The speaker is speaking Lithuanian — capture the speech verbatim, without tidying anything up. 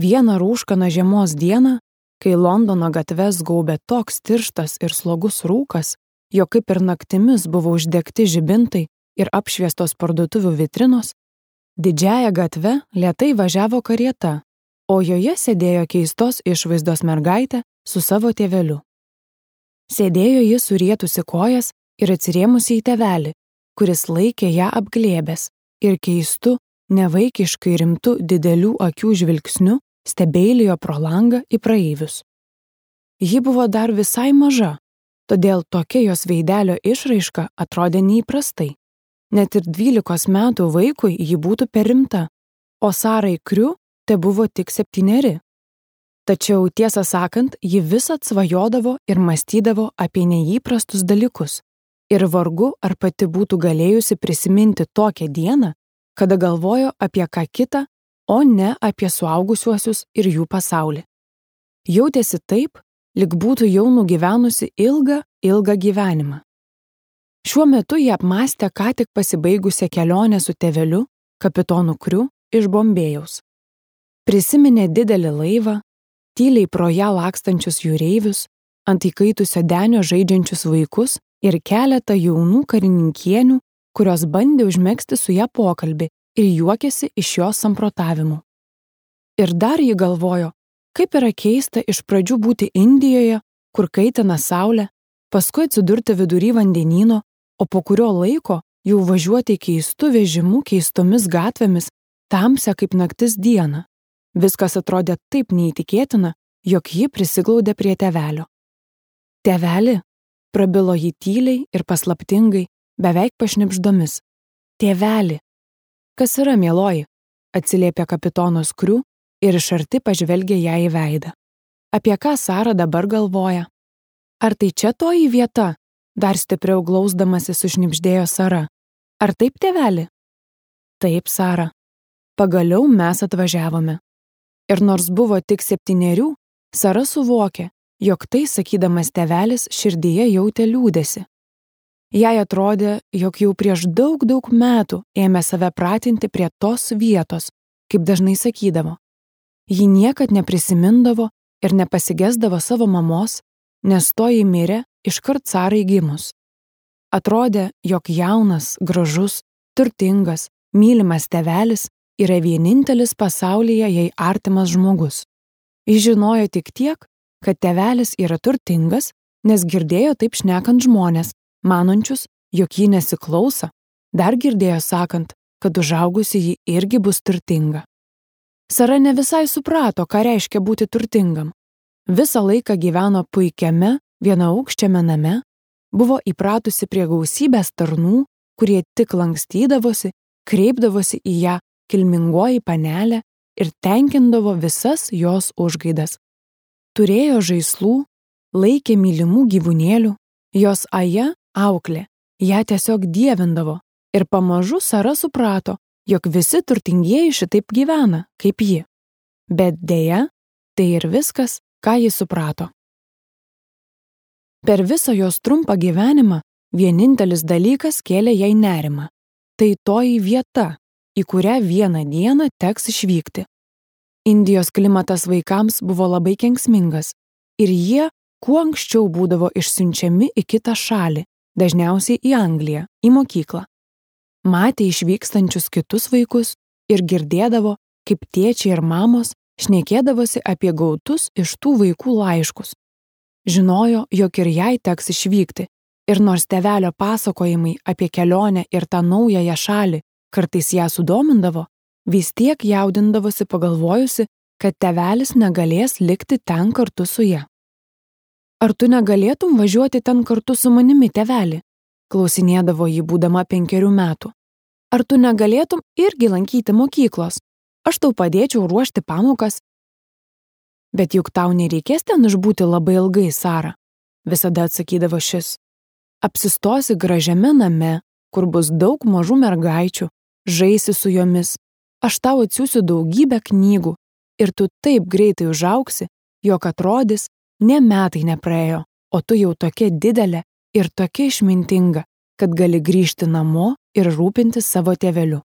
Vieną rūškaną žiemos dieną, kai Londono gatves gaubė toks tirštas ir slogus rūkas, jog kaip ir naktimis buvo uždegti žibintai ir apšviestos parduotuvių vitrinos, didžiąja gatve lėtai važiavo karieta, o joje sėdėjo keistos išvaizdos mergaitė su savo tėveliu. Sėdėjo ji surietusi kojas ir atsirėmusi į tėvelį, kuris laikė ją apglėbęs ir keistu, nevaikiškai rimtu didelių akių žvilgsniu stebeilijo pro langą į praeivius. Ji buvo dar visai maža, todėl tokia jos veidelio išraiška atrodė neįprastai. Net ir dvylikos metų vaikui ji būtų per rimta, o Sarai Kriu te buvo tik septyneri. Tačiau, tiesą sakant, ji visad svajodavo ir mąstydavo apie neįprastus dalykus ir vargu ar pati būtų galėjusi prisiminti tokią dieną, kada galvojo apie ką kitą, o ne apie suaugusiuosius ir jų pasaulį. Jautėsi taip, lyg būtų jau nugyvenusi ilgą, ilgą gyvenimą. Šiuo metu jie apmąstė ką tik pasibaigusią kelionę su tėveliu, kapitonu Kriu iš Bombėjaus. Prisiminė didelį laivą, tyliai pro ją lakstančius jūreivius, ant įkaitusio denio žaidžiančius vaikus ir keletą jaunų karininkienių, kurios bandė užmegzti su ją pokalbį ir juokėsi iš jos samprotavimų. Ir dar ji galvojo, kaip yra keista iš pradžių būti Indijoje, kur kaitina saulė, paskui atsidurti vidury vandenyno, o po kurio laiko jau važiuoti keistu vežimu keistomis gatvėmis, tamsią kaip naktis dieną. Viskas atrodė taip neįtikėtina, jog ji prisiglaudė prie tėvelio. Tėveli, prabilo ji tyliai ir paslaptingai, beveik pašnibždomis. Tėveli. Kas yra, mieloji? Atsiliepė kapitonas Kriu ir iš arti pažvelgė ją į veidą. Apie ką Sara dabar galvoja? Ar tai čia toji vieta? Dar stipriau glausdamasi sušnibždėjo Sara. Ar taip, tėveli? Taip, Sara. Pagaliau mes atvažiavome. Ir nors buvo tik septynerių, Sara suvokė, jog tai sakydamas tėvelis širdyje jautė liūdesį. Jai atrodė, jog jau prieš daug, daug metų ėmė save pratinti prie tos vietos, kaip dažnai sakydavo. Ji niekad neprisimindavo ir nepasigesdavo savo mamos, nes toji mirė iškart Sarai gimus. Atrodė, jog jaunas, gražus, turtingas, mylimas tėvelis yra vienintelis pasaulyje jai artimas žmogus. Jis žinojo tik tiek, kad tėvelis yra turtingas, nes girdėjo taip šnekant žmonės, manančius, jog jį nesiklauso, dar girdėjo sakant, kad užaugusi ji irgi bus turtinga. Sara ne visai suprato, ką reiškia būti turtingam. Visą laiką gyveno puikiame, vienaaukščiame name, buvo įpratusi prie gausybės tarnų, kurie tik lankstydavosi, kreipdavosi į ją kilmingoji panelė ir tenkindavo visas jos užgaidas. Turėjo žaislų, laikė mylimų gyvūnėlių, jos aja, auklė, ją tiesiog dievindavo ir pamažu Sara suprato, jog visi turtingieji šitaip gyvena, kaip ji. Bet deja, tai ir viskas, ką ji suprato. Per visą jos trumpą gyvenimą vienintelis dalykas kėlė jai nerimą. Tai toji vieta, į kurią vieną dieną teks išvykti. Indijos klimatas vaikams buvo labai kenksmingas ir jie kuo anksčiau būdavo išsiunčiami į kitą šalį, dažniausiai į Angliją, į mokyklą. Matė išvykstančius kitus vaikus ir girdėdavo, kaip tėčiai ir mamos šnekėdavosi apie gautus iš tų vaikų laiškus. Žinojo, jog ir jai teks išvykti, ir nors tėvelio pasakojimai apie kelionę ir tą naująją šalį kartais ją sudomindavo, vis tiek jaudindavosi pagalvojusi, kad tėvelis negalės likti ten kartu su ja. Ar tu negalėtum važiuoti ten kartu su manimi, tėveli? Klausinėdavo ji būdama penkerių metų. Ar tu negalėtum irgi lankyti mokyklos? Aš tau padėčiau ruošti pamokas. Bet juk tau nereikės ten išbūti labai ilgai, Sara, visada atsakydavo šis. Apsistosi gražiame name, kur bus daug mažų mergaičių, žaisi su jomis. Aš tau atsiųsiu daugybę knygų ir tu taip greitai užaugsi, jog atrodys, ne metai nepraėjo, o tu jau tokia didelė ir tokia išmintinga, kad gali grįžti namo ir rūpintis savo tėveliu.